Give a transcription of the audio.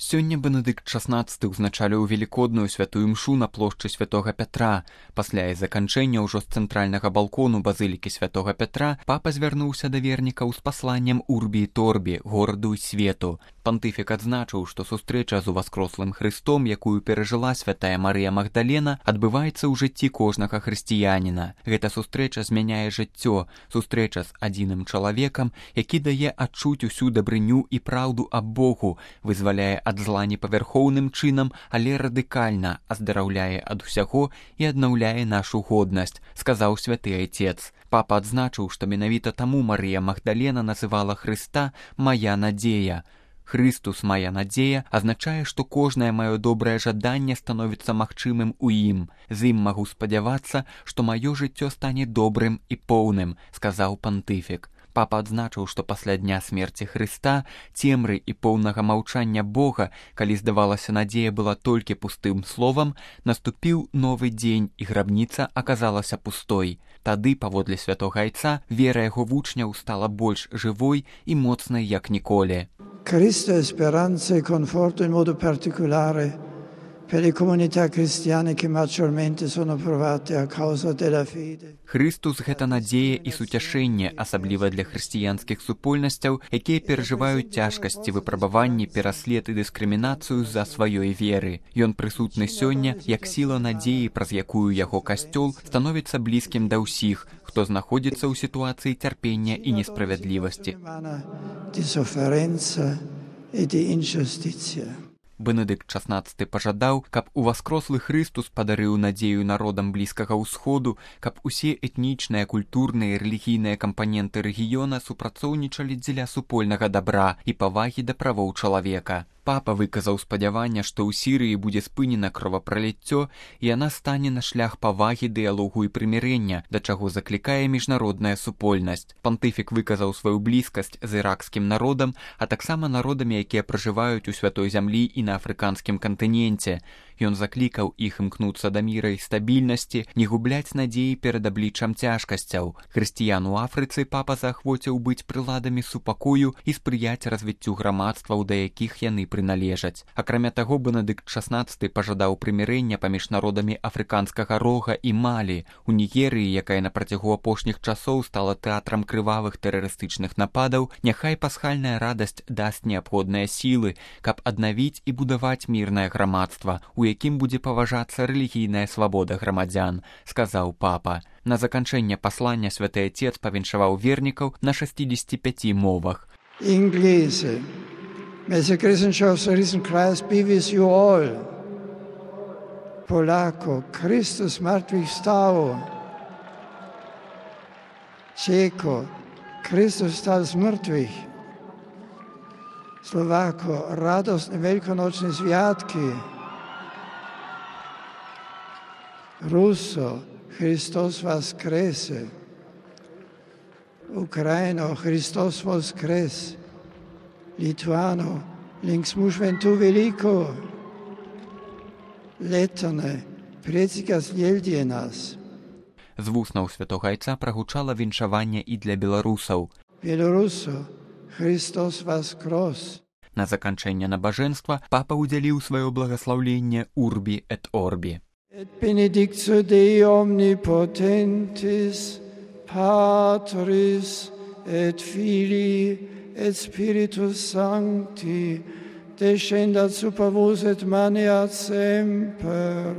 Сёння Бенедыкт XVI узначаліў велікодную святую імшу на плошчы святога Пятра. Пасля і заканчэння ўжо з цэнтральнага балкону базылікі святога Пятра папа звярнуўся да вернікаў з пасланнем Урбі і Торбі, гораду і свету. Пантыфік адзначыў, што сустрэча з уваскрослым Хрыстом, якую перажыла святая Марыя Магдалена, адбываецца ў жыцці кожнага хрысціяніна. Гэта сустрэча змяняе жыццё, сустрэча з адзіным чалавекам, які дае адчуць усю дабрыню і праўду аб Богу, вызваляе ад зла непавярхоўным чынам, але радыкальна аздараўляе ад усяго і аднаўляе нашу годнасць, сказаў святы айцец. Папа адзначыў, што менавіта таму Марыя Магдалена называла Хрыста «Мая надзея». «Христус, моя надзея» азначае, што кожнае маё добрае жаданне становіцца магчымым у ім. З ім магу спадзявацца, што маё жыццё стане добрым і поўным, сказаў пантыфік. Папа адзначыў, што пасля дня смерці Хрыста, цемры і поўнага маўчання Бога, калі, здавалася, надзея была толькі пустым словам, наступіў новы дзень, і грабніца аказалася пустой. Тады, паводле святога айца, вера яго вучняў стала больш жывой і моцнай, як ніколі. Cristo è speranza e conforto in modo particolare per le comunità cristiane che maggiormente sono provate a causa della fede. Христус – гэта надзея і суцяшэнне, асабліва для хрысціянскіх супольнасцяў, якія перажываюць цяжкасці, выпрабаванні, пераслед і дыскрымінацыю з-за сваёй веры. Ён прысутны сёння, як сіла надзеі, праз якую яго касцёл становіцца блізкім да ўсіх, хто знаходзіцца ў сітуацыі цярпення і несправядлівасці. Бенедыкт XVI пажадаў, каб уваскрослы Хрыстус падарыў надзею народам Блізкага ўсходу, каб усе этнічныя, культурныя і рэлігійныя кампаненты рэгіёна супрацоўнічалі дзеля супольнага дабра і павагі да правоў чалавека. Папа выказаў спадзяванне, што ў Сірыі будзе спынена кровапраліццё, і яна стане на шлях павагі, дыялогу і прымірэння, да чаго заклікае міжнародная супольнасць. Пантыфік выказаў сваю блізкасць з іракскім народам, а таксама народамі, якія пражываюць у святой зямлі і на афрыканскім кантыненце. Ён заклікаў іх імкнуцца да міра і стабільнасці, не губляць надзеі перад абліччам цяжкасцяў. Хрысціян у Афрыцы папа заахвоціў быць прыладамі супакою і спрыяць развіццю грамадстваў, да якіх яны прыналежаць. Акрамя таго, Бенедыкт XVI пажадаў прымірэння паміж народамі афрыканскага рога і Малі. У Нігерыі, якая на працягу апошніх часоў стала тэатрам крывавых тэрарыстычных нападаў, няхай пасхальная радасць дасць неабходныя сілы, каб аднавіць і будаваць мірнае грамадства, у якім будзе паважацца рэлігійная свабода грамадзян, сказаў папа. На заканчэнне паслання святы айцец павіншаваў вернікаў на 65 мовах. Inglese, Messe Christenschafts Riesenkreis be with you all. Polako, Christus zmartwychwstał. Czeko, Chrystus wstał z mrtwych. Słowako, radosne wielkonoczne światki. Russo, Chrystus воскресе. Ukraino, Chrystus воскрес. Lituano, links mušventu veliko. Letone, predsika zjeldje nas. З вуснаў святога айца прагучала віншаванне і для беларусаў. Белорусо, Христос воскрес. На заканчэнне набажэнства папа ўдзяліў сваё благаслаўленне Урбі эт Орбі. Et benedictio Dei omnipotentis, Patris et Filii et Spiritus Sancti, descendat super vos et maneat semper.